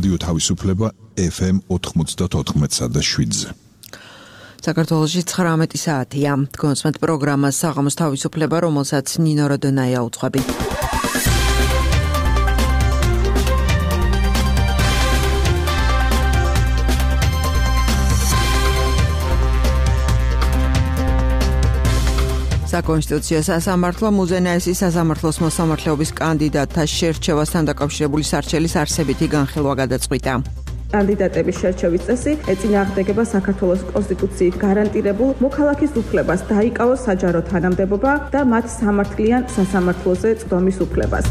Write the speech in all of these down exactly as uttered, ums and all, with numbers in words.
რადიო თავისუფლება ეფ ემ ოთხმოცდაოთხ და შვიდზე. საქართველოში ცხრამეტი საათია. გონსმეთ პროგრამას საღამოს თავისუფლება, რომელსაც ნინო როდონაია უძღვებით. საკონსტიტუციო სასამართლო მუზენაესის სასამართლოს მოსამართლეობის კანდიდატთა შერჩევასთან დაკავშირებული სარჩელის არსებითი განხილვა გადაწყვიტა. კანდიდატების შერჩევის წესი ეწინააღმდეგება საქართველოს კონსტიტუციით გარანტირებულ მოქალაქის უფლებას დაიკავოს საჯარო თანამდებობა და მათ სამართლიან სასამართლოზე წვდომის უფლებას.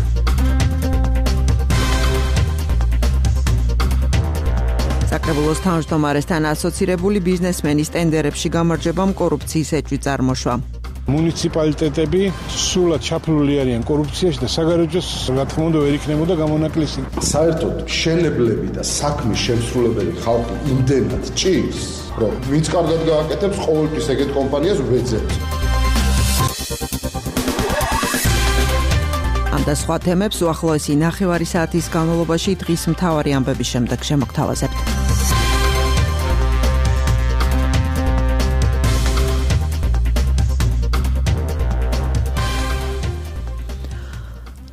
საკრებულოს თავმჯდომარესთან ასოცირებული ბიზნესმენის ტენდერებში გამარჯვებამ კორუფციის ეჭვი წარმოშვა. მუნიციპალიტეტები სულად ჩაფლული არიან კორუფციაში და საგარეჯოს რა თქმა უნდა ვერ იქნებოდა გამონაკლისი. საერთოდ მშენებლები და საქმის შემსრულებელი ხალხი იმდენად ჭირს, რომ ვინც კარგად გააკეთებს, ყოველთვის ეგეთ კომპანიას ვეძებთ. ამ და სხვა თემებს უახლოესი ნახევარი საათის განმავლობაში დღის მთავარი ამბების შემდეგ შემოგთავაზებთ.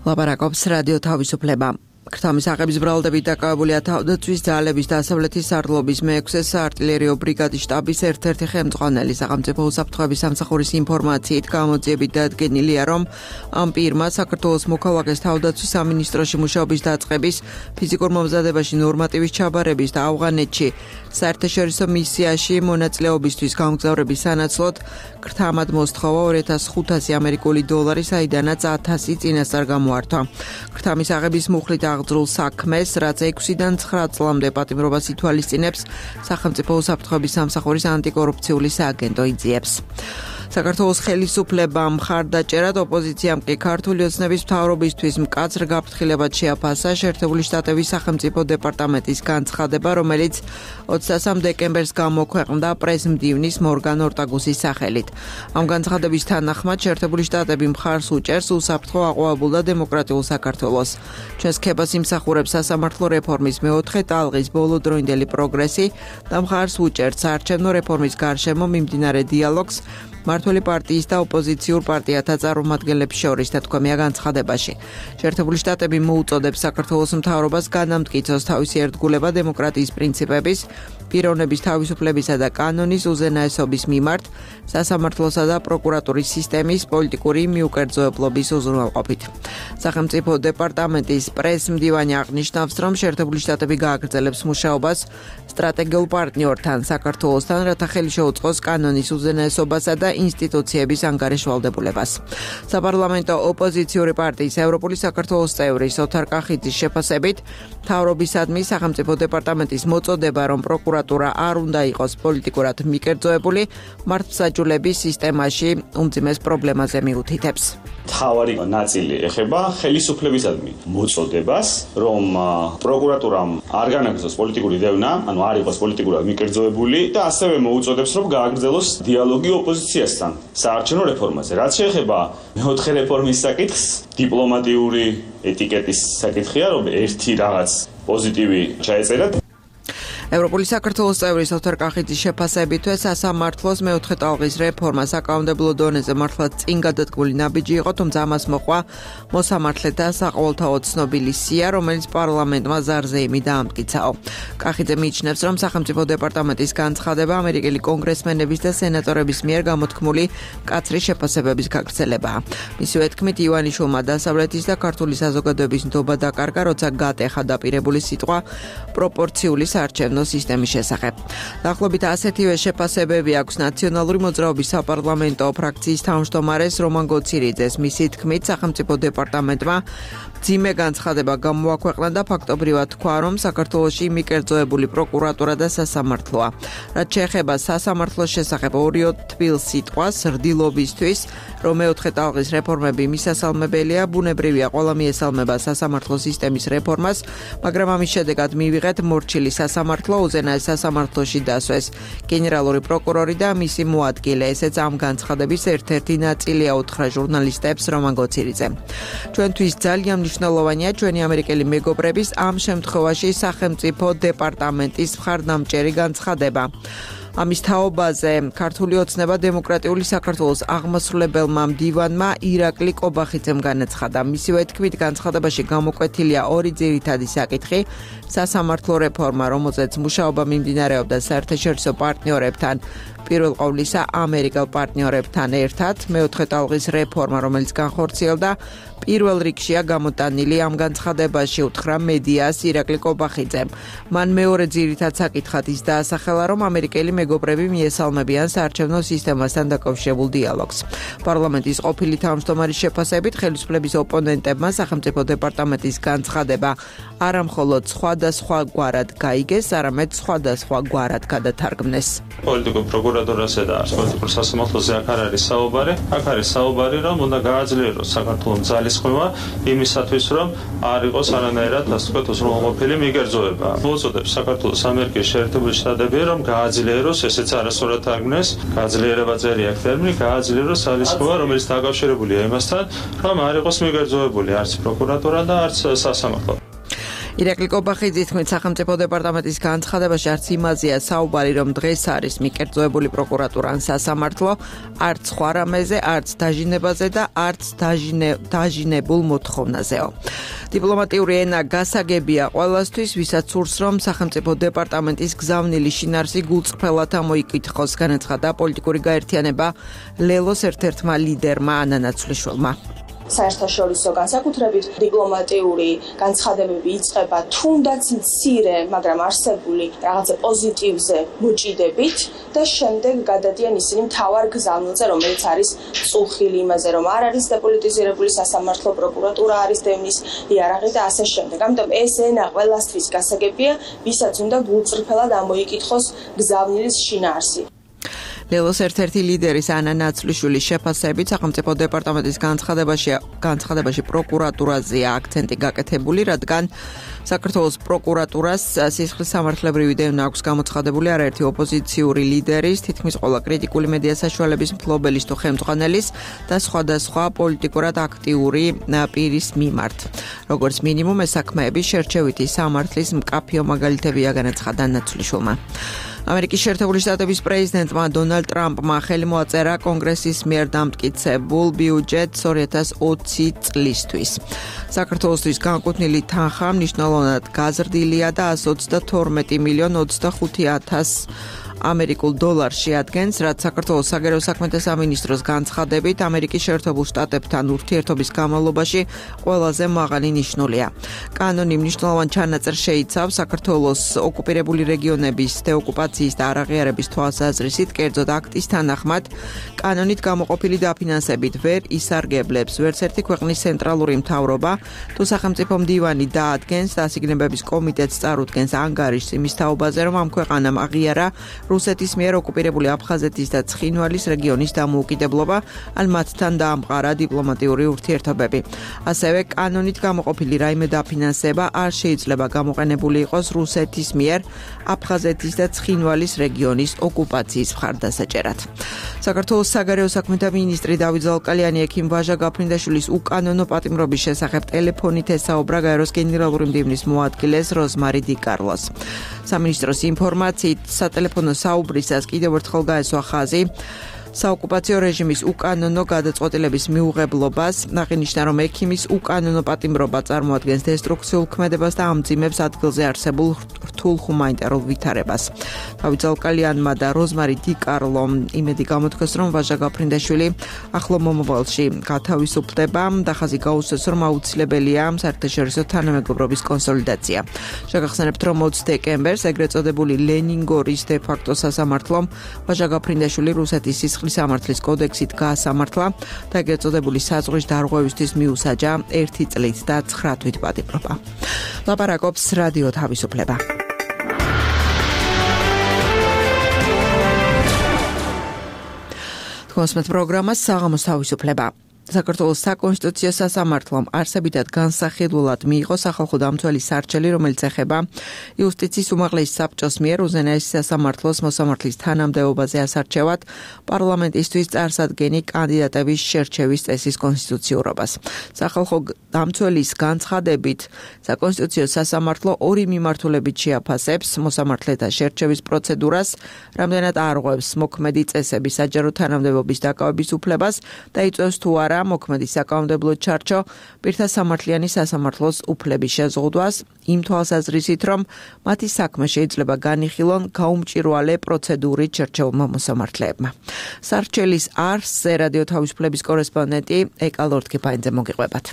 ლაპარაკობს რადიო თავისუფლება. ქრთამის აღების ბრალდებით დაკავებულია თავდაცვის ძალების დასავლეთის სარდლობის მეექვსე საარტილერიო ბრიგადის შტაბის ერთ-ერთი ხელმძღვანელი. სახელმწიფო უსაფრთხოების სამსახურის ინფორმაციით გამოძიებით დადგენილია, რომ ამ პირმა საქართველოს მოქალაქეს თავდაცვის სამინისტროში მუშაობის დაწყების, ფიზიკურ მომზადებაში ნორმატივის ჩაბარების და ავღანეთში საერთაშორისო მისიაში მონაწილეობისთვის გამგზავრების სანაცვლოდ ქრთამად მოსთხოვა ორი ათას ხუთასი ამერიკული დოლარი, საიდანაც ათასი წინასწარ გამოართვა. ქრთამის აღების მუხლით აღძრულ საქმეს, რაც ექვსიდან ცხრა წლამდე პატიმრობას ითვალისწინებს, სახელმწიფო უსაფრთხოების სამსახურის ანტიკორუფციული სააგენტო იძიებს. საქართველოს ხელისუფლებამ მხარდაჭერად, ოპოზიციამ კი ქართული ოცნების მთავრობისთვის მკაცრ გაფრთხილებად შეაფასა შეერთებული შტატების სახელმწიფო დეპარტამენტის განცხადება, რომელიც ოცდასამ დეკემბერს გამოქვეყნდა პრეს-მდივნის მორგან ორტაგუსის სახელით. ამ განცხადების თანახმად შეერთებული შტატები მხარს უჭერს უსაფრთხო აყვავებულ და დემოკრატიულ საქართველოს. ჩვენს ქებას იმსახურებს სასამართლო რეფორმის მეოთხე ტალღის ბოლოდროინდელი პროგრესი და მხარს უჭერს საარჩევნო რეფორმის გარშემო მიმდინარე დიალოგს მმართველი პარტიის და ოპოზიციურ პარტიათა წარმომადგენლებს შორის, თქვენია განცხადებაში. შეერთებული შტატები მოუწოდებს საქართველოს მთავრობას განამტკიცოს თავისი ერთგულება დემოკრატიის პრინციპების, პიროვნების თავისუფლებისა და კანონის უზენაესობის მიმართ, სასამართლოსა და პროკურატურის სისტემის პოლიტიკური მიუკერძოებლობის უზრუნველყოფით. სახელმწიფო დეპარტამენტის პრეს-მდივანი აღნიშნავს, რომ შეერთებული შტატები გააგრძელებს მუშაობას სტრატეგიულ პარტნიორთან, საქართველოსთან, რათა ხელი შეუწყოს კანონის უზენაესობასა და ინსტიტუციების ანგარიშვალდებულებას. საპარლამენტო ოპოზიციური პარტიის ევროპული საქართველოს წევრის ოთარ კახიძის შეფასებით, მთავრობისადმი სახელმწიფო დეპარტამენტის მოწოდება, რომ პროკურატურა არ უნდა იყოს პოლიტიკურად მიკერძოებული, მართლმსაჯულების სისტემაში უმძიმეს პრობლემაზე მიუთითებს. მთავარი ნაწილი ეხება ხელისუფლებისადმი მოწოდებას, რომ პროკურატურამ არ განაგრძოს პოლიტიკური დევნა, ანუ არ იყოს პოლიტიკურად მიკერძოებული და ასევე მოუწოდებს, რომ გააგრძელოს დიალოგი ოპოზიციასთან საარჩევნო რეფორმაზე. რაც შეეხება მეოთხე რეფორმის საკითხს, დიპლომატიური ეტიკეტის საკითხია, რომ ერთი რაღაც პოზიტივი ჩაეწერათ. ევროპული საქართველოს წევრის ოთარ კახიძის შეფასებითვე სასამართლოს მეოთხე ტალღის რეფორმა საკანონმდებლო დონეზე მართლაც წინ გადადგმული ნაბიჯი იყო, თუმცა ამას მოყვა მოსამართლეთა საყოველთაო ცნობილი სია, რომელიც პარლამენტმა ზარზეიმი დაამტკიცაო. კახიძე მიიჩნევს, რომ სახელმწიფო დეპარტამენტის განცხადება ამერიკელი კონგრესმენების და სენატორების მიერ გამოთქმული მკაცრი შეფასებების გაგრძელებაა. მისივე თქმით, ივანიშვილმა დასავლეთის და ქართული საზოგადოების ნდობა დაკარგა, როცა გატეხა დაპირებული სიტყვა პროპორციული საარჩევნო სისტემის შესახებ. დაახლოებით ასეთივე შეფასებები აქვს ნაციონალური მოძრაობის საპარლამენტო ფრაქციის თავმჯდომარეს რომან გოცირიძეს. მისი თქმით, სახელმწიფო დეპარტამენტმა მძიმე განცხადება გამოაქვეყნა და ფაქტობრივად თქვა, რომ საქართველოში მიკერძოებული პროკურატურა და სასამართლოა. რაც შეეხება სასამართლოს შესახებ ორიო თბილ სიტყვას რდილობისთვის, რომ მეოთხე ტალღის რეფორმები მისასალმებელია, ბუნებრივია ყველა მიესალმება სასამართლო სისტემის რეფორმას, მაგრამ ამის შედეგად მივიღეთ მორჩილი სასამართლო, უზენაეს სასამართლოში დასვეს გენერალური პროკურორი და მისი მოადგილე. ესეც ამ განცხადების ერთ-ერთი ნაწილია, უთხრა ჟურნალისტებს რომან გოცირიძე. ჩვენთვის ძალიან მნიშვნელოვანია ჩვენი ამერიკელი მეგობრების ამ შემთხვევაში სახელმწიფო დეპარტამენტის მხარდამჭერი განცხადება. ამის თაობაზე ქართული ოცნება დემოკრატიული საქართველოს აღმასრულებელმა მდივანმა ირაკლი კობახიძემ განაცხადა. მისივე თქმით, განცხადებაში გამოკვეთილია ორი ძირითადი საკითხი: სასამართლო რეფორმა, რომელზეც მუშაობა მიმდინარეობდა საერთაშორისო პარტნიორებთან, პირველ ყოვლისა ამერიკელ პარტნიორებთან ერთად, მეოთხე ტალღის რეფორმა, რომელიც განხორციელდა პირველ რიგშია გამოტანილი ამ განცხადებაში უთხრა მედიას ირაკლი კობახიძემ. მან მეორე ძირითად საკითხად ის დაასახელა, რომ ამერიკელი მეგობრები მიესალმებიან საარჩევნო სისტემასთან დაკავშირებულ დიალოგს. პარლამენტის ყოფილი თავმჯდომარის შეფასებით, ხელისუფლების ოპონენტებმა სახელმწიფო დეპარტამენტის განცხადება არა მხოლოდ სხვადასხვაგვარად გაიგეს, არამედ სხვადასხვაგვარად გადათარგმნეს. პოლიტიკურ პროკურატურაზე და პოლიტიკურ სასამართლოზე აქ არ არის საუბარი. აქ არის საუბარი, რომ უნდა გააძლიეროს საქართველოს ძალისხმევა იმისათვის, რომ არ იყოს არანაირად, ასე ვთქვათ, უზრუნველყოფილი მიგერძოება. მოუწოდებს საქართველოს ამერიკის შეერთებული შტატები, რომ გააძლიეროს, ესეც არასწორად თარგმნეს, გააძლიერება წერია ტერმინი, გააძლიეროს ძალისხმევა, რომელიც დაკავშირებულია იმასთან, რომ არ იყოს მიგერძოებული არც პროკურატურა და არც სასამართლო. ირაკლი კობახიძის თქმით, სახელმწიფო დეპარტამენტის განცხადებაში არც იმაზეა საუბარი, რომ დღეს არის მიკერძოებული პროკურატურა ან სასამართლო, არც სხვა რამეზე, არც დაჟინებაზე და არც დაჟინებულ მოთხოვნაზეო. დიპლომატიური ენა გასაგებია ყველასთვის, ვისაც სურს, რომ სახელმწიფო დეპარტამენტის გზავნილი შინაარსი გულწრფელად ამოიკითხოს, განაცხადა პოლიტიკური გაერთიანება ლელოს ერთ-ერთმა ლიდერმა ანა ნაცვლიშვილმა. საერთაშორისო განსაკუთრებით დიპლომატიური განცხადებები იწყება თუნდაც მცირე, მაგრამ არსებული რაღაცა პოზიტივზე მოჭიდებით და შემდეგ გადადიან ისინი მთავარ გზავნილზე, რომელიც არის წუხილი იმაზე, რომ არ არის დეპოლიტიზირებული სასამართლო, პროკურატურა არის დევნის იარაღი და ასე შემდეგ. ამიტომ ეს ენა ყველასთვის გასაგებია, ვისაც უნდა გულწრფელად ამოიკითხოს გზავნილის შინაარსი. ლელოს ერთ-ერთი ლიდერის ანა ნაცვლიშვილის შეფასებით, სახელმწიფო დეპარტამენტის განცხადებაში განცხადებაში პროკურატურაზეა აქცენტი გაკეთებული, რადგან საქართველოს პროკურატურას სისხლის სამართლებრივი დევნა აქვს გამოცხადებული არაერთი ოპოზიციური ლიდერის, თითქმის ყველა კრიტიკული მედია საშუალების მფლობელის თუ ხელმძღვანელის და სხვადასხვა პოლიტიკურად აქტიური პირის მიმართ. როგორც მინიმუმ, ეს საქმეები შერჩევითი სამართლის მკაფიო მაგალითებია, განაცხადა ნაცვლიშვილმა. ამერიკის შეერთებული შტატების პრეზიდენტმა დონალდ ტრამპმა ხელი მოაწერა კონგრესის მიერ დამტკიცებულ ბიუჯეტს ორი ათას ოცი წლისთვის. საქართველოსთვის განკუთვნილი თანხა მნიშვნელოვნად გაზრდილია და ასი ოცდათორმეტი მილიონი ოცდახუთი ათასი ამერიკულ დოლარში ადგენს, რაც საქართველოს საგარეო საქმეთა სამინისტროს განცხადებით ამერიკის შეერთებულ შტატებთან ურთიერთობის განმავლობაში ყველაზე მაღალი ნიშნულია. კანონი მნიშვნელოვან ჩანაწერს შეიცავს საქართველოს ოკუპირებული რეგიონების დეოკუპაციის და არაღიარების თვალსაზრისით, კერძოდ აქტის თანახმად, კანონით გამოყოფილი დაფინანსებით ვერ ისარგებლებს ვერც ერთი ქვეყნის ცენტრალური მთავრობა, თუ სახელმწიფო მდივანი დაადგენს და ასიგნებების კომიტეტს წარუდგენს ანგარიშს იმის თაობაზე, რომ ამ ქვეყანამ აღიარა რუსეთის მიერ ოკუპირებული აფხაზეთის და ცხინვალის რეგიონის დამოუკიდებლობა, ან მათთან დაამყარა დიპლომატიური ურთიერთობები. ასევე კანონით გამოყოფილი რაიმე დაფინანსება არ შეიძლება გამოყენებული იყოს რუსეთის მიერ აფხაზეთის და ცხინვალის რეგიონის ოკუპაციის მხარდასაჭერად. საქართველოს საგარეო საქმეთა მინისტრი დავით ზალკალიანი ექიმ ვაჟა გაფრინდაშვილის უკანონო პატიმრობის შესახებ ტელეფონით ესაუბრა გაეროს გენერალური მდივნის მოადგილეს როზმარი დიკარლოს. სამინისტროს ინფორმაციით სატელეფონო საუბრისას კიდევ ერთხელ გაესვა ხაზი საოკუპაციო რეჟიმის უკანონო გადაწყვეტილების მიუღებლობას, აღინიშნა, რომ ექიმის უკანონო პატიმრობა წარმოადგენს დესტრუქციულ ქმედებას და ამძიმებს ადგილზე არსებულ რთულ ჰუმანიტარულ ვითარებას. დავით ზალკალიანმა და როზმარი დიკარლომ იმედი გამოთქვეს, რომ ვაჟა გაფრინდაშვილი ახლო მომავალში გათავისუფლდება და ხაზი გაუსვეს, რომ აუცილებელია საერთაშორისო თანამეგობრობის კონსოლიდაცია. შეგახსენებთ, რომ ოცი დეკემბერს ეგრეთ წოდებული ლენინგორის დე-ფაქტო სასამართლომ ვაჟა გაფრინდაშვილი რუსეთის სისხლის სამართლის კოდექსით გაასამართლა და ეგრეთ წოდებული საზღვრის დარღვევისთვის მიუსაჯა ერთი წლით და ცხრა თვით პატიმრობა. ლაპარაკობს რადიო თავისუფლება. თქვენს პროგრამას საღამოს თავისუფლება. საქართველოს საკონსტიტუციო სასამართლომ არსებითად განსახილულად მიიღო სახალხო დამცველის სარჩელი, რომელიც ეხება იუსტიციის უმაღლესი საბჭოს მიერ უზენაესი სასამართლოს მოსამართლის თანამდებობაზე ასარჩევად პარლამენტისთვის წარსადგენი კანდიდატების შერჩევის წესის კონსტიტუციურობას. სახალხო დამცველის განცხადებით, საკონსტიტუციო სასამართლო ორი მიმართულებით შეაფასებს მოსამართლეთა შერჩევის პროცედურას, რამდენად არღვევს მოქმედი წესების საჯარო თანამდებობის დაკავების უფლებას და იწვევს თუ არა მოქმედი საკანონმდებლო ჩარჩო პირთა სამართლიანი სასამართლოს უფლების შეზღუდვას, იმ თვალსაზრისით, რომ მათი საქმე შეიძლება განიხილონ გაუმჭირვალე პროცედურით შერჩეულმა მოსამართლეებმა. სარჩელის არსზე რადიო თავისუფლების კორესპონდენტი ეკა ლორთქიფაინძე მოგიყვებათ.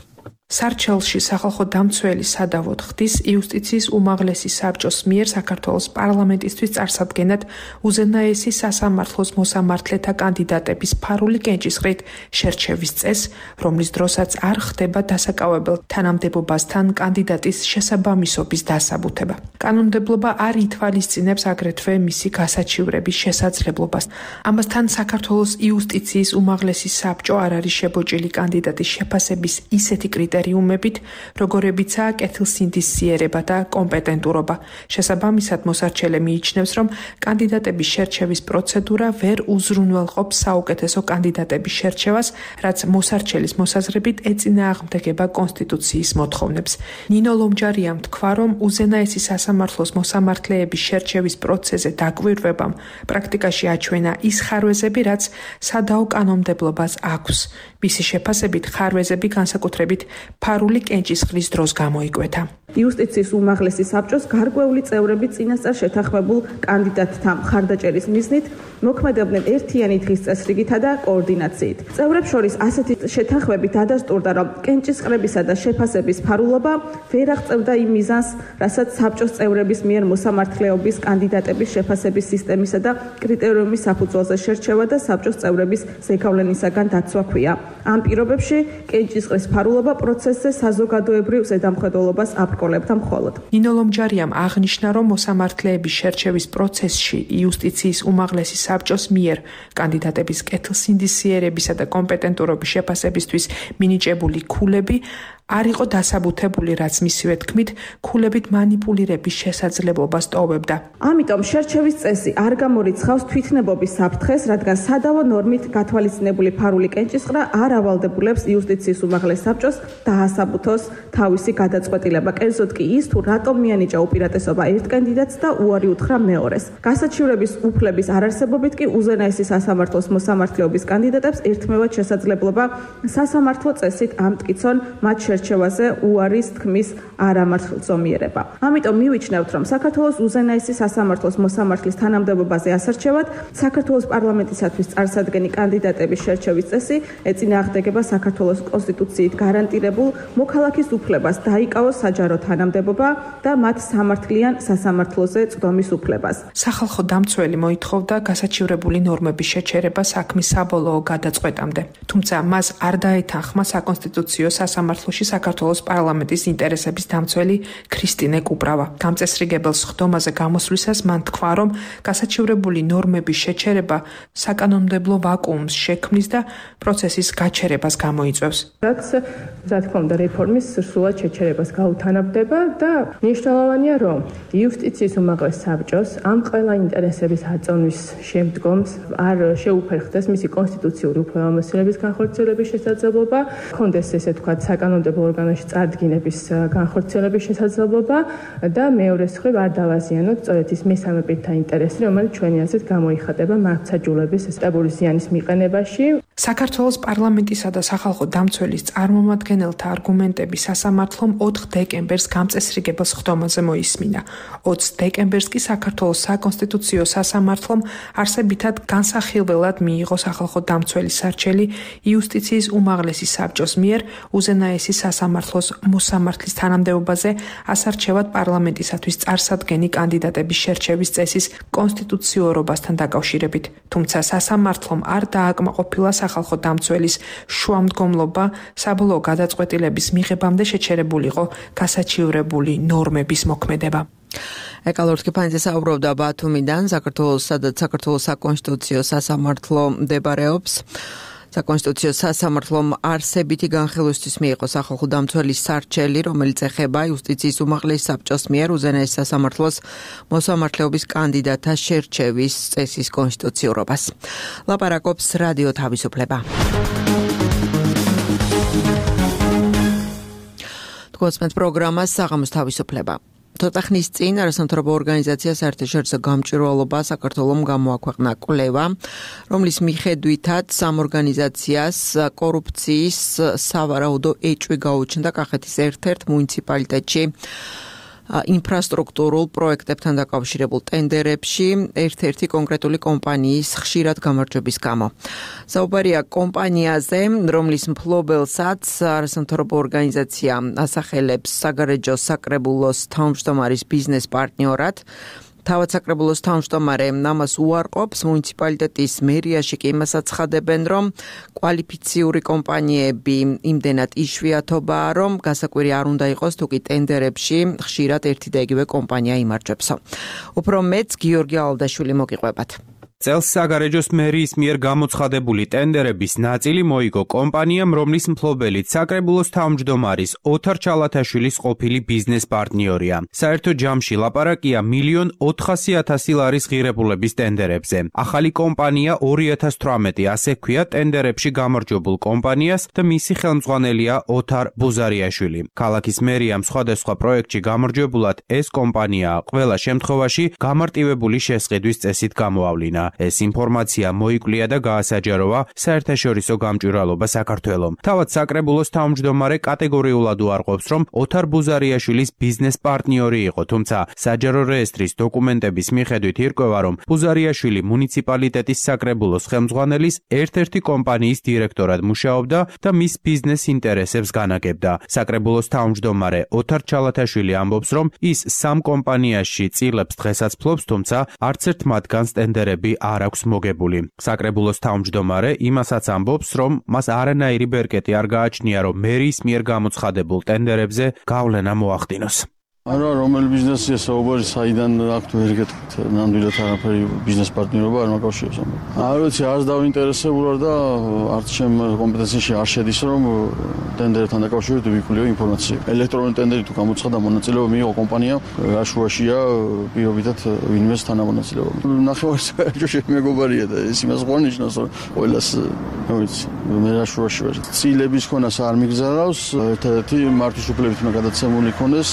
სარჩელში სახალხო დამცველი სადავოდ ხდის იუსტიციის უმაღლესი საბჭოს მიერ საქართველოს პარლამენტისთვის წარსადგენად უზენაესი სასამართლოს მოსამართლეთა კანდიდატების ფარული კენჭისყრით შერჩევის წესს, რომლის დროსაც არ ხდება დასაკავებელ თანამდებობასთან კანდიდატის შესაბამისობის დასაბუთება. კანონმდებლობა არ ითვალისწინებს აგრეთვე მისი გასაჩივრების შესაძლებლობას. ამასთან საქართველოს იუსტიციის უმაღლესი საბჭო არ არის შებოჭილი კანდიდატის შეფასების ისეთი კრიტერიუმებით, როგორებიცაა კეთილსინდისიერება და კომპეტენტურობა. შესაბამისად, მოსარჩელე მიიჩნევს, რომ კანდიდატების შერჩევის პროცედურა ვერ უზრუნველყოფს საუკეთესო კანდიდატების შერჩევას, რაც მოსარჩელის მოსაზრებით ეწინააღმდეგება კონსტიტუციის მოთხოვნებს. ნინო ლომჯარიამ თქვა, რომ უზენაესი სასამართლოს მოსამართლეების შერჩევის პროცესზე დაკვირვებამ პრაქტიკაში აჩვენა ის ხარვეზები, რაც სადაო კანონმდებლობას აქვს. მისი შეფასებით ხარვეზები განსაკუთრებით ფარული კენჭისყრის დროს გამოიკვეთა. იუსტიციის უმაღლესი საბჭოს გარკვეული წევრები წინასწარ შეთანხმებულ კანდიდატთა მხარდაჭერის მიზნით მოქმედებდნენ ერთიანი დღის წესრიგითა და კოორდინაციით. წევრებს შორის ასეთი შეთანხმებით დადასტურდა, რომ კენჭისყრებისა და შეფასების ფარულობა ვერ აღწევდა იმ მიზანს, რასაც საბჭოს წევრების მიერ მოსამართლეობის კანდიდატების შეფასების სისტემისა და კრიტერიუმის საფუძველზე შერჩევა და საბჭოს წევრების ზეგავლენისაგან დაცვა ჰქვია. ამ პირობებში კენჭისყრის ფარულობა პროცესზე საზოგადოებრივ ზედამხედველობას აპრკოლებდა მხოლოდ. ნინო ლომჯარიამ აღნიშნა, რომ მოსამართლეების შერჩევის პროცესში იუსტიციის უმაღლესი საბჭოს მიერ კანდიდატების კეთილსინდისიერებისა და კომპეტენტურობის შეფასებისთვის მინიჭებული ქულები არ იყო დასაბუთებული, რაც მისივე თქმით, ქულებით მანიპულირების შესაძლებლობას ტოვებდა. ამიტომ შერჩევის წესი არ გამორიცხავს თვითნებობის საფრთხეს, რადგან სადავო ნორმით გათვალისწინებული ფარული კენჭისყრა არ ავალდებულებს იუსტიციის უმაღლეს საბჭოს დაასაბუთოს თავისი გადაწყვეტილება. კერძოდ კი ის, თუ რატომ მიანიჭა უპირატესობა ერთ კანდიდატს და უარი უთხრა მეორეს. გასაჩივრების უფლების არარსებობით კი უზენაესი სასამართლოს მოსამართლეობის კანდიდატებს ერთმევად შესაძლებლობა სასამართლო წესით ამტკიცონ მათ შერჩევაზე უარის თქმის არამართლწომიერება. ამიტომ მივიჩნევთ, რომ საქართველოს უზენაესი სასამართლოს მოსამართლის თანამდებობაზე ასარჩევად საქართველოს პარლამენტისათვის წარსადგენი კანდიდატების შერჩევის წესი ეწინააღმდეგება საქართველოს კონსტიტუციით გარანტირებულ მოქალაქის უფლებას დაიკავოს საჯარო თანამდებობა და მათ სამართლიან სასამართლოზე წვდომის უფლებას. სახალხო დამცველი მოითხოვდა გასაჩივრებული ნორმების შეჩერება საქმის საბოლოო გადაწყვეტამდე. თუმცა მას არ დაეთანხმა საკონსტიტუციო სასამართლოში საქართველოს პარლამენტის ინტერესების დამცველი ქრისტინე კუპრავა. გამწესრიგებელ სხდომაზე გამოსვლისას მან თქვა, რომ გასაჩივრებული ნორმების შეჩერება საკანონმდებლო ვაკუუმს შექმნის და პროცესის გაჩერებას გამოიწვევს. რაც რა თქმა უნდა რეფორმის სრულად შეჩერებას გაუთანაბრდება და მნიშვნელოვანია, რომ იუსტიციის უმაღლეს საბჭოს ამ ყველა ინტერესების აწონვის შემდგომს არ შეუფერხდეს მისი კონსტიტუციური უფლებამოსილების განხორციელების შესაძლებლობა, ჰქონდეს ესე თქვა საკანონმდებლო ორგანოში წარდგინების განხორციელების შესაძლებლობა და მეორე მხრივ არ დავაზიანოთ სწორედ ის მესამე პირთა ინტერესი, რომელიც ჩვენი აზრით გამოიხატება მართლმსაჯულების სტაბილური ზიანის მიყენებაში. საქართველოს პარლამენტისა და სახალხო დამცველის წარმომადგენელთა არგუმენტები სასამართლომ ოთხ დეკემბერს გამწესრიგებელ სხდომაზე მოისმინა. ოცი დეკემბერს კი საქართველოს საკონსტიტუციო სასამართლომ არსებითად განსახილველად მიიღო სახალხო დამცველის სარჩელი იუსტიციის უმაღლესი საბჭოს მიერ უზენაესი სასამართლოს მოსამართლის თანამდებობაზე ასარჩევად პარლამენტისათვის წარსადგენი კანდიდატების შერჩევის წესის კონსტიტუციურობასთან დაკავშირებით. თუმცა სასამართლომ არ დააკმაყოფილა სახალხო დამცველის შუამდგომლობა საბოლოო გადაწყვეტილების მიღებამდე შეჩერებულიყო გასაჩივრებული ნორმების მოქმედება. ეკა ლორთქიფაინძე საუბრობდა ბათუმიდან, საქართველოს, სადაც საქართველოს საკონსტიტუციო სასამართლო მდებარეობს. საკონსტიტუციო სასამართლომ არსებითი განხილვისთვის მიიღო სახალხო დამცველის სარჩელი, რომელიც ეხება იუსტიციის უმაღლეს საბჭოს მიერ უზენაეს სასამართლოს მოსამართლეობის კანდიდატთა შერჩევის წესის კონსტიტუციურობას. ლაპარაკობს რადიო თავისუფლება. თქვენს პროგრამას საღამოს თავისუფლება. ცოტა ხნის წინ არასამთავრობო ორგანიზაცია საერთაშორისო გამჭვირვალობა საქართველომ გამოაქვეყნა კვლევა, რომლის მიხედვითაც ამ ორგანიზაციას კორუფციის სავარაუდო ეჭვი გაუჩნდა კახეთის ერთ-ერთ მუნიციპალიტეტში ინფრასტრუქტურულ პროექტებთან დაკავშირებულ ტენდერებში ერთ-ერთი კონკრეტული კომპანიის ხშირად გამარჯვების გამო. საუბარია კომპანიაზე, რომლის მფლობელსაც არასამთავრობო ორგანიზაცია ასახელებს საგარეჯო საკრებულოს თავმჯდომარის ბიზნეს პარტნიორად. თავად საკრებულოს თავმჯდომარე ამას უარყოფს, მუნიციპალიტეტის მერიაში კი იმას აცხადებენ, რომ კვალიფიციური კომპანიები იმდენად იშვიათობაა, რომ გასაკვირი არ უნდა იყოს თუ კი ტენდერებში ხშირად ერთი და იგივე კომპანია იმარჯვებსო. უფრო მეც გიორგი ალდაშვილი მოგიყვებათ. წელს საგარეჯოს მერიის მიერ გამოცხადებული ტენდერების ნაწილი მოიგო კომპანიამ, რომლის მფლობელიც საკრებულოს თავმჯდომარის ოთარ ჩალათაშვილის ყოფილი ბიზნეს პარტნიორია. საერთო ჯამში ლაპარაკია მილიონ ოთხასი ათასი ლარის ღირებულების ტენდერებზე. ახალი კომპანია ორი ათას თვრამეტი, ასე ქვია ტენდერებში გამარჯვებულ კომპანიას და მისი ხელმძღვანელია ოთარ ბუზარიაშვილი. ქალაქის მერიამ სხვადასხვა პროექტში გამარჯვებულად ეს კომპანია ყველა შემთხვევაში გამარტივებული შესყიდვის წესით გამოავლინა. ეს ინფორმაცია მოიკლია და გაასაჯაროვა საერთაშორისო გამჭვირვალობა საქართველომ. თავად საკრებულოს თავმჯდომარე კატეგორიულად უარყოფს, რომ ოთარ ბუზარიაშვილის ბიზნეს პარტნიორი იყო, თუმცა საჯარო რეესტრის დოკუმენტების მიხედვით ირკვევა, რომ ბუზარიაშვილი მუნიციპალიტეტის საკრებულოს ხელმძღვანელის ერთ-ერთი კომპანიის დირექტორად მუშაობდა და მის ბიზნეს ინტერესებს განაგებდა. საკრებულოს თავმჯდომარე ოთარ ჩალათაშვილი ამბობს, რომ ის სამ კომპანიაში წილებს დღესაც ფლობს, თუმცა არც ერთ მათგანს ტენდერები არ აქვს მოგებული. საკრებულოს თავმჯდომარე იმასაც ამბობს, რომ მას არანაირი ბერკეტი არ გააჩნია, რომ მერიის მიერ გამოცხადებულ ტენდერებზე გავლენა მოახდინოს. არა, რომელი ბიზნესია საუბარი, საიდან აქვთ ვერ გეტყვით, ნამდვილად არაფერი ბიზნეს პარტნიორობა არ მაკავშირებს. არ ვიცი, არც დავინტერესებული ვარ და არც ჩემ კომპეტენციაში არ შედის, რომ ტენდერთან დაკავშირებით ვიკვლიო ინფორმაცია. ელექტრონული ტენდერი თუ გამოცხადა, მონაწილეობა მიიღო კომპანია, რაშუაშია პირობითად ვინმეს თანამონაწილეობა. ნახევარი საერთო მეგობარია და ეს იმას ღვნიშნავს, რომ ყველას, რა ვიცი, მე რაშუაში ვარ. ცილების ქონას არ მიგზავნავს, ერთ-ერთი მართვის უფლებით უნდა გადაცემული ქონდეს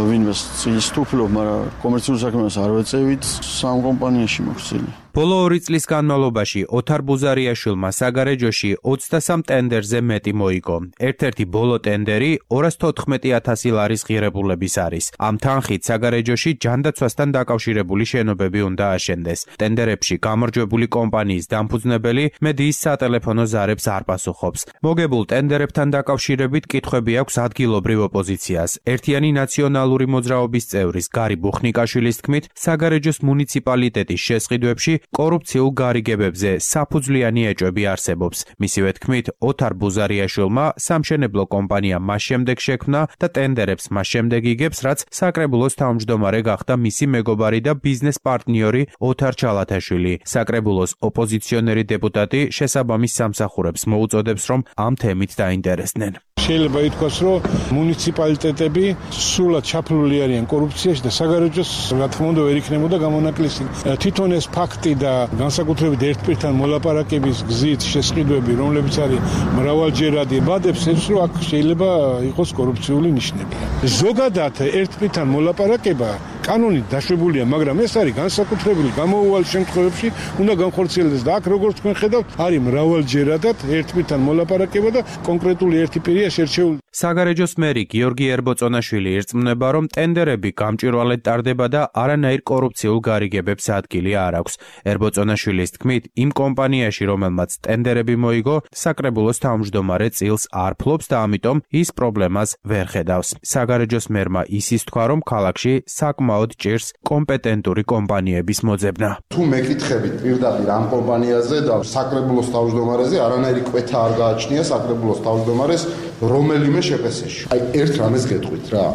ვინმეს ცილის თუფლობ, მაგრამ კომერციულ საქმეს არ ვეწევით, სამ კომპანიაში მოხსილი. ბოლო ორი წლის განმავლობაში ოთარ ბუზარიაშვილმა საგარეჯოში ოცდასამ ტენდერზე მეტი მოიგო. ერთ-ერთი ბოლო ტენდერი ორას თოთხმეტი ათასი ლარის ღირებულების არის. ამ თანხით საგარეჯოში ჯანდაცვასთან დაკავშირებული შენობები უნდა აშენდეს. ტენდერებში გამარჯვებული კომპანიის დამფუძნებელი მედიის სატელეფონო ზარებს არ პასუხობს. მოგებულ ტენდერებთან დაკავშირებით კითხვები აქვს ადგილობრივ ოპოზიციას. ერთიანი ნაციონალური მოძრაობის წევრის გარი ბუხნიკაშვილის თქმით, საგარეჯოს მუნიციპალიტეტის შესყიდვებში კორუფციულ გარიგებებზე საფუძვლიანი ეჭვები არსებობს. მისივე თქმით, ოთარ ბუზარიაშვილმა სამშენებლო კომპანია მას შემდეგ შექმნა და ტენდერებს მას შემდეგ იგებს, რაც საკრებულოს თავმჯდომარე გახდა მისი მეგობარი და ბიზნეს პარტნიორი ოთარ ჩალათაშვილი. საკრებულოს ოპოზიციონერი დეპუტატი შესაბამის სამსახურებს მოუწოდებს, რომ ამ თემით დაინტერესდნენ. შეიძლება ითქვას, რომ მუნიციპალიტეტები სრულად ჩაფლული არიან კორუფციაში და საგარეჯოს რა თქმა უნდა ვერ იქნებოდა გამონაკლისი. თვითონ ეს ფაქტი და განსაკუთრებით ერთპირთან მოლაპარაკების გზით შესყიდვები, რომლებიც არის მრავალჯერადი, ბადებს ეს რომ აქ შეიძლება იყოს კორუფციული ნიშნები. ზოგადად ერთპირთან მოლაპარაკება კანონით დაშვებულია, მაგრამ ეს არის განსაკუთრებული გამოუვალ შემთხვევებში უნდა განხორციელდეს და აქ როგორც თქვენ ხედავთ, არის მრავალჯერადად ერთპირთან მოლაპარაკება და კონკრეტული ერთი პირია შერჩეული. საგარეჯოს მერი გიორგი ერბოწონაშვილი ირწმუნება, რომ ტენდერები გამჭვირვალედ ტარდება და არანაირ კორუფციულ გარიგებებს ადგილი არ აქვს. ერბოწონაშვილის თქმით, იმ კომპანიაში, რომელმაც ტენდერები მოიგო, საკრებულოს თავმჯდომარე წილს არ ფლობს და ამიტომ ის პრობლემას ვერ ხედავს. საგარეჯოს მერმა ისიც თქვა, რომ ქალაქში საკმაოდ ჭირს კომპეტენტური კომპანიების მოძებნა. თუ მეკითხებით პირდაპირ ამ კომპანიაზე და საკრებულოს თავმჯდომარეზე, არანაირი კვეთა არ გააჩნია საკრებულოს თავმჯდომარეს რომელიმე შეფასებაში. აი ერთ რამეს გეტყვით რა.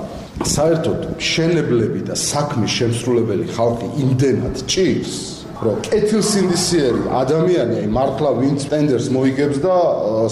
საერთოდ მშენებლები და საქმის შემსრულებელი ხალხი იმდენად ჭირს, რომ კეთილსინდისიერი ადამიანი აი მართლა ვინც ტენდერს მოიგებს და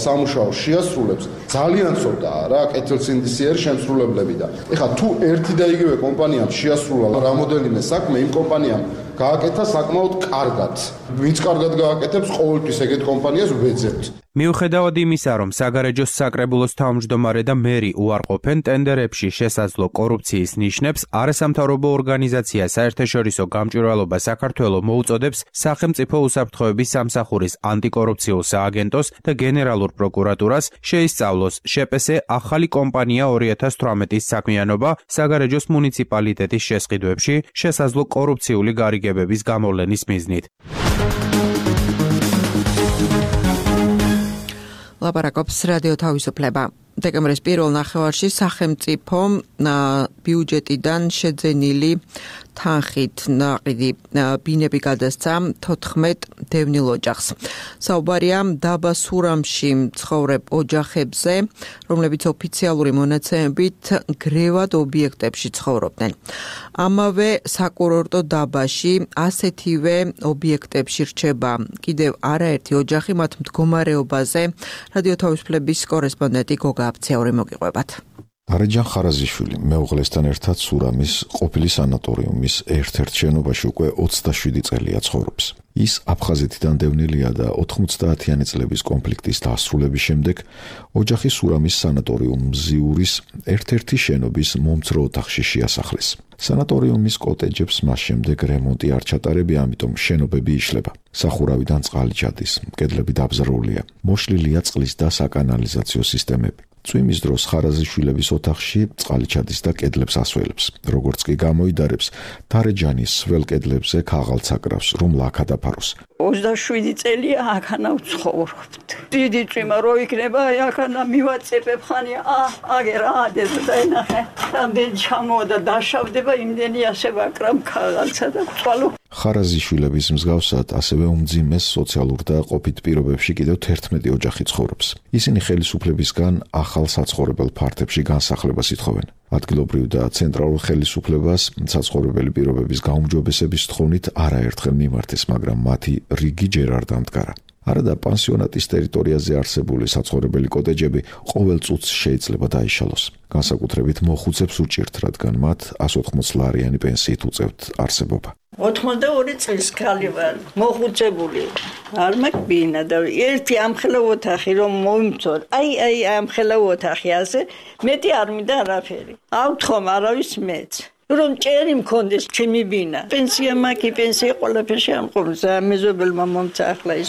სამუშაოს შეასრულებს ძალიან ცოტაა რა კეთილსინდისიერი შემსრულებლები და ეხლა თუ ერთი და იგივე კომპანიამ შეასრულა რამოდენიმე საქმე იმ კომპანიამ გააკეთა საკმაოდ კარგად. ვინც კარგად გააკეთებს, ყოველთვის ეგეთ კომპანიას ვეძებთ. მიუხედავად იმისა, რომ საგარეჯოს საკრებულოს თავმჯდომარე და მერი უარყოფენ ტენდერებში შესაძლო კორუფციის ნიშნებს, არასამთავრობო ორგანიზაცია საერთაშორისო გამჭვირვალობა საქართველოს მოუწოდებს სახელმწიფო უსაფრთხოების სამსახურის ანტიკორუფციულ სააგენტოს და გენერალურ პროკურატურას შეისწავლოს შეპესე ახალი კომპანია ორი ათას თვრამეტის საქმიანობა საგარეჯოს მუნიციპალიტეტის შესყიდვებში შესაძლო კორუფციული გარიგებების გამოვლენის მიზნით. ლაპარაკობს რადიო თავისუფლება. დეკემბრის პირველ ნახევარში სახელმწიფო ბიუჯეტიდან შეძენილი თანხით ნაყიდი ბინები გადასცა თოთხმეტ დევნილ ოჯახს. საუბარია დაბა სურამში მცხოვრებ ოჯახებზე, რომლებიც ოფიციალური მონაცემებით გრევად ობიექტებში ცხოვრობდნენ. ამავე საკურორტო დაბაში ასეთივე ობიექტებში რჩება კიდევ არაერთი ოჯახი, მათ მდგომარეობაზე რადიო თავისუფლების კორესპონდენტი გოგა აფცეური მოგიყვებათ. არეჯან ხარაზიშვილი მეუღლესთან ერთად სურამის ყოფილი სანატორიუმის ერთ-ერთ შენობაში უკვე ოცდაშვიდი წელია ცხოვრობს. ის აფხაზეთიდან დევნილია და ოთხმოცდაათიანი წლების კონფლიქტის დასრულების შემდეგ ოჯახი სურამის სანატორიუმ მზიურის ერთ-ერთი შენობის მომცრო ოთახში შეასახლეს. სანატორიუმის კოტეჯებს მას შემდეგ რემონტი არ ჩატარებია, ამიტომ შენობები იშლება. სახურავიდან წყალი ჩადის, კედლები დაბზარულია, მოშლილია წყლის და საკანალიზაციო სისტემები. წვიმის დროს ხარაზიშვილების ოთახში წყალი ჩადის და კედლებს ასველებს. როგორც კი გამოიდარებს, დარეჯანის სველ კედლებზე ქაღალდს აკრავს, რომ ლაქა დაფაროს. ოცდაშვიდი წელია აქანა ვცხოვრობთ. დიდი წვიმა რო იქნება, აქანა მივაწებებ ხანი, ა, აგერ ადეს და ენახე. რამდენი ჩამოვა და დაშავდება, იმდენი ასე ვაკრამ ქაღალდსა და წვალო. ხარაზიშვილების მსგავსად ასევე უმძიმეს სოციალურ და ყოფით პირობებში კიდევ თერთმეტი ოჯახი ცხოვრობს. ისინი ხელისუფლებისგან ახალ საცხოვრებელ ფართებში განსახლებას ითხოვენ. ადგილობრივ და ცენტრალურ ხელისუფლებას საცხოვრებელი პირობების გაუმჯობესების თხოვნით არაერთხელ მიმართეს, მაგრამ მათი რიგი ჯერ არ დამდგარა. არადა პანსიონატის ტერიტორიაზე არსებული საცხოვრებელი კოტეჯები ყოველ წუთს შეიძლება დაიშალოს. განსაკუთრებით მოხუცებს უჭირთ, რადგან მათ ასი ოცდაოთხ ლარიანი პენსიით უწევთ არსებობა. ოცდაორი წლის ქალი ვარ, მოხუცებული. არ მეკბინა და ერთი ამხელა ოთახი რომ მომწორ. აი აი ამხელა ოთახი ასე, მეტი არ მინდა არაფერი. ავთხომ არავის მეც. რომ ჭერი მქონდეს ჩემი ბინა. პენსია მაგი, პენსია ყველაფერში ამყობს. მეზობელმა მომცა ახლა ის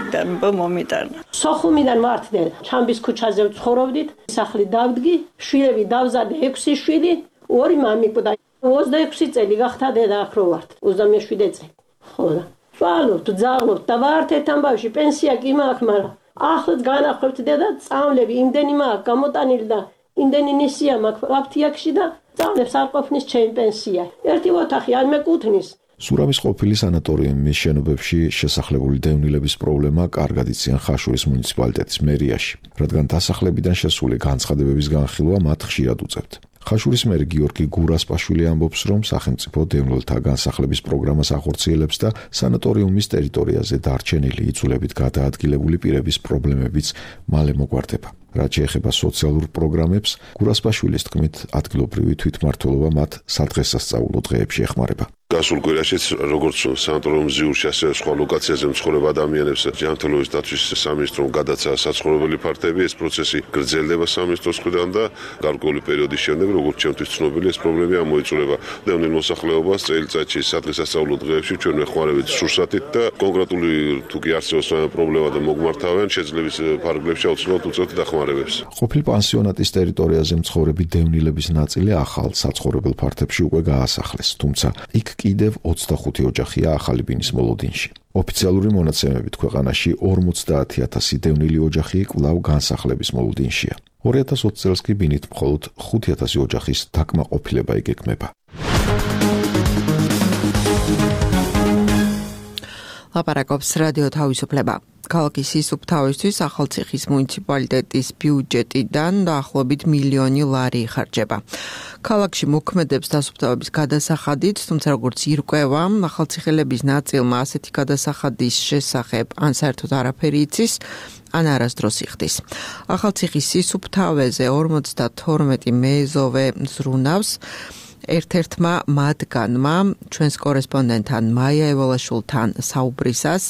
და მომიტანა. სოხუმიდან მართდე, ჩამბის ქუჩაზე ვცხოვრობდით, სახლი დავდგი, შვილები დავზადე ექვსი შვილი, ორი მამიკო და ოცდაექვსი წელი გახდა დედა აქ რო ვართ. ოცდამეშვიდე წელი. ხო და წვალობთ, ძაღლობთ და ვართ ერთ ამბავში, პენსია კი მაქვს, მაგრამ ახლაც განახვევთ დედა, წამლები იმდენი მაქვს გამოტანილი და იმდენი ნისია მაქვს აფთიაქში და წამლებს არ ყოფნის ჩემი პენსია. ერთი ოთახი არ მეკუთვნის. სურამის ყოფილი სანატორიუმის შენობებში შესახლებული დევნილების პრობლემა კარგად იციან ხაშურის მუნიციპალიტეტის მერიაში, რადგან დასახლებიდან შესული განცხადებების განხილვა მათ ხშირად უწევთ. ხაშურის მერი გიორგი გურასპაშვილი ამბობს, რომ სახელმწიფო დევნილთა განსახლების პროგრამას ახორციელებს და სანატორიუმის ტერიტორიაზე დარჩენილი იწულებით გადაადგილებული პირების პრობლემებიც მალე მოგვარდება. რაც შეეხება სოციალურ პროგრამებს, გურასპაშვილის თქმით, ადგილობრივი თვითმმართველობა მათ სადღესასწაულო დღეებში ეხმარება. გასულ კვირაშიც როგორც სანატორიუმ ზიურში, ასევე სხვა ლოკაციაზე მცხოვრებ ადამიანებს ჯანმრთელობის დაცვის სამინისტრომ გადაცა საცხოვრებელი ფართები, ეს პროცესი გრძელდება სამინისტროს მხრიდან და გარკვეული პერიოდის შემდეგ, როგორც ჩემთვის ცნობილი, ეს პრობლემა ამოიწურება დევნილ მოსახლეობას წელიწადში სადღესასწაულო დღეებში ჩვენ ვეხმარებით სურსათით და კონკრეტული თუ კი არსებობს პრობლემა და მოგმართავენ, შეძლების ფარგლებში აუცილებლად უწევთ დახმარებებს. ყოფილ პანსიონატის ტერიტორიაზე მცხოვრები დევნილების ნაწილი ახალ საცხოვრებელ ფართებში უკვე გაასახლეს, თუმცა იქ კიდევ ოცდახუთი ოჯახია ახალი ბინის მოლოდინში. ოფიციალური მონაცემებით ქვეყანაში ორმოცდაათი ათასი დევნილი ოჯახი კვლავ განსახლების მოლოდინშია. ორი ათას ოცი წელს კი ბინით მხოლოდ ხუთი ათასი ოჯახის დაკმაყოფილება იგეგმება. ლაპარაკობს რადიო თავისუფლება. ქალაქის სისუფთავისთვის ახალციხის მუნიციპალიტეტის ბიუჯეტიდან დაახლოებით მილიონი ლარი იხარჯება. ქალაქში მოქმედებს დასუფთავების გადასახადით, თუმცა როგორც ირკვევა, ახალციხელების ნაწილმა ასეთი გადასახადის შესახებ ან საერთოდ არაფერი იცის, ან არასდროს იხდის. ახალციხის სისუფთავეზე ორმოცდათორმეტი მეზოვე ზრუნავს. ერთ-ერთმა მათგანმა ჩვენს კორესპონდენტთან მაია ევალაშვილთან საუბრისას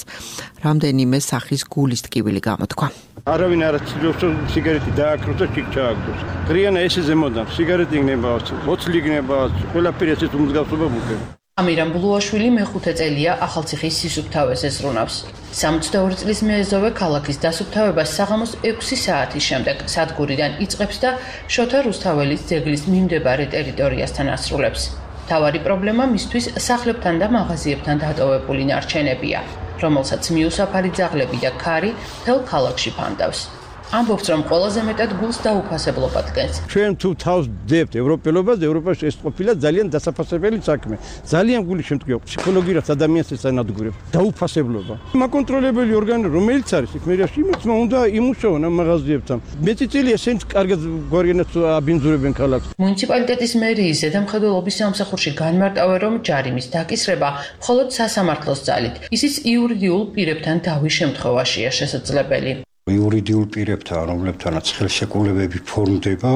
რამდენიმე სახის გულის ტკივილი გამოთქვა. არავინ არ ცდილობს სიგარეტი დააკროს და ჩიქ ჩააგდოს. ღრიანა ესეზე მოდამ სიგარეტი იქნება, ოცლი იქნება, ყველაფერი ესეც უმსგავსობა მუქება. ამირან ბულუაშვილი მეხუთე წელია ახალციხის სისუფთავეზე ზრუნავს. სამოცდაორი წლის მეზოვე ქალაქის დასუფთავებას საღამოს ექვსი საათის შემდეგ სადგურიდან იწყებს და შოთა რუსთაველის ძეგლის მიმდებარე ტერიტორიასთან ასრულებს. მთავარი პრობლემა მისთვის სახლებთან და მაღაზიებთან დატოვებული ნარჩენებია, რომელსაც მიუსაფარი ძაღლები და ქარი მთელ ქალაქში ფანდავს. ამბობს, რომ ყველაზე მეტად გულს დაუფასებლობა დგენს. ჩვენ თუ თავს ვდებთ ევროპელობას, ევროპაში ეს ყოფილა ძალიან დასაფასებელი საქმე. ძალიან გული შემტკივა ფსიქოლოგიურად ადამიანს ეს ანადგურებს. დაუფასებლობა. მაკონტროლებელი ორგანო რომელიც არის იქ მერიაში იმის უნდა იმუშაონ ამ მაღაზიებთან. მეწიწილია სენს კარგად გვარიანაც აბინძურებენ ქალაქს. მუნიციპალიტეტის მერიის ზედამხედველობის სამსახურში განმარტავენ, რომ ჯარიმის დაკისრება მხოლოდ სასამართლოს ძალით, ისიც იურიდიულ პირებთან დავის შემთხვევაშია შესაძლებელი. იურიდიულ პირებთან, რომლებთანაც ხელშეკრულებები ფორმდება,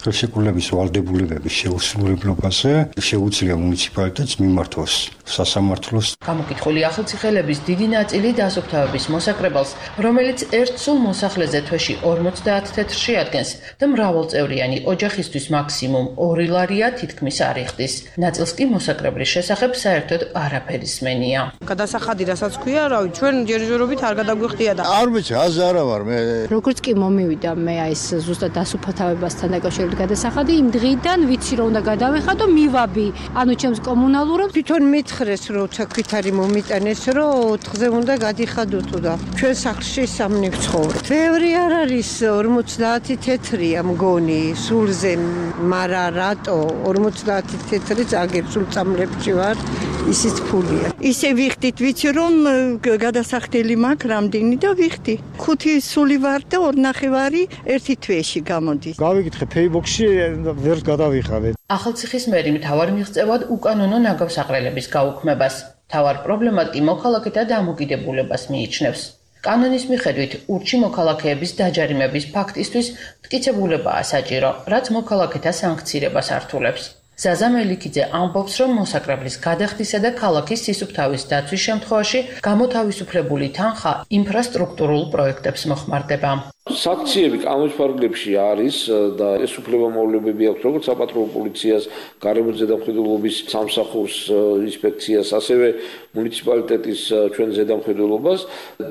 ხელშეკრულების ვალდებულებების შეუსრულებლობაზე შეუძლია მუნიციპალიტეტს მიმართოს სასამართლოს. გამოკითხული ახალციხელების დიდი ნაწილი დასუფთავების მოსაკრებელს, რომელიც ერთ სულ მოსახლეზე თვეში ორმოცდაათ თეთრს შეადგენს და მრავალწევრიანი ოჯახისთვის მაქსიმუმ ორი ლარია თითქმის არ იხდის. ნაწილს კი მოსაკრებლის შესახებ საერთოდ არაფერი სმენია. გადასახადი რასაც ქვია, რავი, ჩვენ ჯერჯერობით არ გადაგვიხდია და არ ვიცი, აზ არა ვარ მე. როგორც კი მომივიდა მე ეს ზუსტად დასუფთავებასთან დაკავშირებით გადასახადი, იმ დღიდან ვიცი რომ უნდა გადავეხადო, მივაბი, ანუ ჩემს კომუნალურებს თვითონ მითხრეს რომ თქვითარი მომიტანეს რომ ოთხზე უნდა გადიხადოთ და ჩვენ სახლში სამნი ვცხოვრობ. ბევრი არ არის ორმოცდაათი თეთრია მგონი სულზე, მარა რატო ორმოცდაათი თეთრი წაგებ სულ წამლებში ვარ, ისიც ფულია. ისე ვიხდით, ვიცი რომ გადასახდელი მაქვს რამდენი და ვიხდი. ხუთი სული ვარ და ორნახევარი ერთი თვეში გამოდის. გავიკითხე Facebook-ში ვერ გადავიხადე. ახალციხის მერი მთავარ მიღწევად უკანონო ნაგავსაყრელების გაუქმებას. მთავარ პრობლემად კი მოქალაქეთა დამოკიდებულებას მიიჩნევს. კანონის მიხედვით ურჩი მოქალაქეების დაჯარიმების ფაქტისთვის მტკიცებულებაა საჭირო, რაც მოქალაქეთა სანქცირებას ართულებს. ზაზა მელიქიძე ამბობს, რომ მოსაკრებლის გადახდისა და ქალაქის სისუფთავის დაცვის შემთხვევაში გამოთავისუფლებული თანხა ინფრასტრუქტურულ პროექტებს მოხმარდება. Sankციები კანონშფარგლებში არის და ეს უფლებამოვალეობები აქვს როგორც საპატრულო პოლიციას, გარემოს ზედამხედველობის სამსახურს, ინსპექციას, ასევე მუნიციპალიტეტის ჩვენ ზედამხედველობას.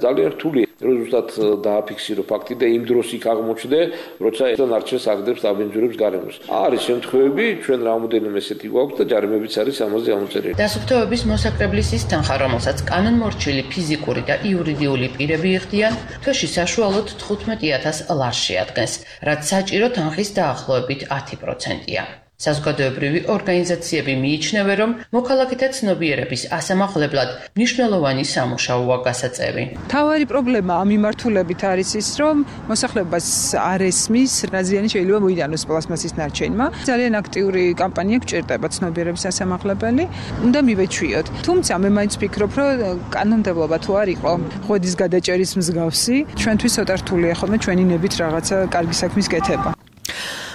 ძალიან რთული რომ ზუსტად დააფიქსირო ფაქტი და იმ დროს იქ აღმოჩნდე, როცა ეს არჩევს აგდებს დაბინძურებს გარემოს. არის შემთხვევები, ჩვენ რამოდენიმე ესეთი გვაქვს და ჯარიმებიც არის ამაზე ამოწერილი. დასუფთავების მოსაკრებლის ის თანხა, რომელსაც კანონმორჩილი ფიზიკური და იურიდიული პირები იხდიან, თვეში საშუალოდ თხუთმეტი ათას ლარს შეადგენს, რაც საჭირო თანხის დაახლოებით ათი პროცენტია. საზოგადოებრივი ორგანიზაციები მიიჩნევენ, რომ მოქალაქეთა ცნობიერების ასამაღლებლად მნიშვნელოვანი სამუშაოა გასაწევი. მთავარი პრობლემა ამ მიმართულებით არის ის, რომ მოსახლეობას არ ესმის, რა ზიანი შეიძლება მოიტანოს პლასმასის ნარჩენმა. ძალიან აქტიური კამპანია გჭირდება ცნობიერების ასამაღლებელი, უნდა მივეჩვიოთ. თუმცა მე მაინც ვფიქრობ, რომ კანონმდებლობა თუ არ იყო ღვედის გადაჭერის მსგავსი, ჩვენთვის ცოტა რთულია ხოლმე ჩვენი ნებით რაღაცა კარგი საქმის კეთება.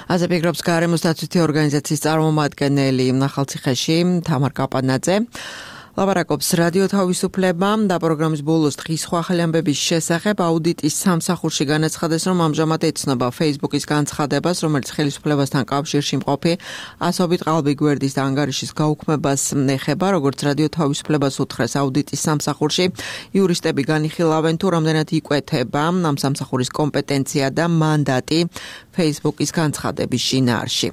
ასე ფიქრობს გარემოს დაცვითი ორგანიზაციის წარმომადგენელი ახალციხეში თამარ კაპანაძე. ლაპარაკობს რადიო თავისუფლება და პროგრამის ბოლოს დღის სხვა ახალი ამბების შესახებ აუდიტის სამსახურში განაცხადეს, რომ ამჟამად ეცნობა Facebook-ის განცხადებას, რომელიც ხელისუფლებასთან კავშირში მყოფი ასობით ყალბი გვერდის და ანგარიშის გაუქმებას ეხება, როგორც რადიო თავისუფლებას უთხრეს აუდიტის სამსახურში. იურისტები განიხილავენ, თუ რამდენად იკვეთება ამ სამსახურის კომპეტენცია და მანდატი Facebook-ის განცხადების შინაარსში.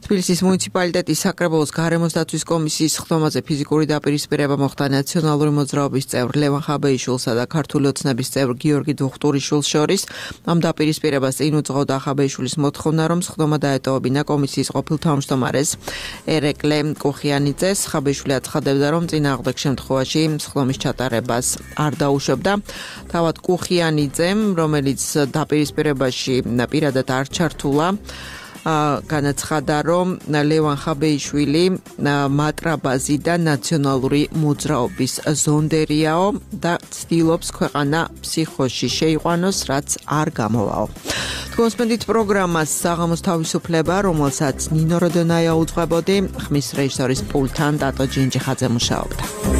თბილისის მუნიციპალიტეტის საკრებულოს გარემოს დაცვის კომისიის ხდომაზე ფიზიკური დაპირისპირება მოხდა ნაციონალური მოძრაობის წევრ ლევან ხაბეიშვილსა და ქართული ოცნების წევრ გიორგი დუხტურიშვილს შორის. ამ დაპირისპირებას წინ უძღოდა ხაბეიშვილის მოთხოვნა, რომ ხდომა დაეტოვებინა კომისიის ყოფილ თავმჯდომარეს ერეკლე კუხიანიძეს. ხაბეიშვილი აცხადებდა, რომ წინააღმდეგ შემთხვევაში ხდომის ჩატარებას არ დაუშვებდა. თავად კუხიანიძემ, რომელიც დაპირისპირებაში პირადად არ ჩართულა, განაცხადა, რომ ლევან ხაბეიშვილი მატრაბაზი და ნაციონალური მოძრაობის ზონდერიაო და ცდილობს ქვეყანა ფსიქოში შეიყვანოს, რაც არ გამოვაო. თქვენსმენდით პროგრამას საღამოს თავისუფლება, რომელსაც ნინო როდონაია უძღვებოდი, ხმის რეჟისორის პულტთან დატო ჯინჯიხაძე მუშაობდა.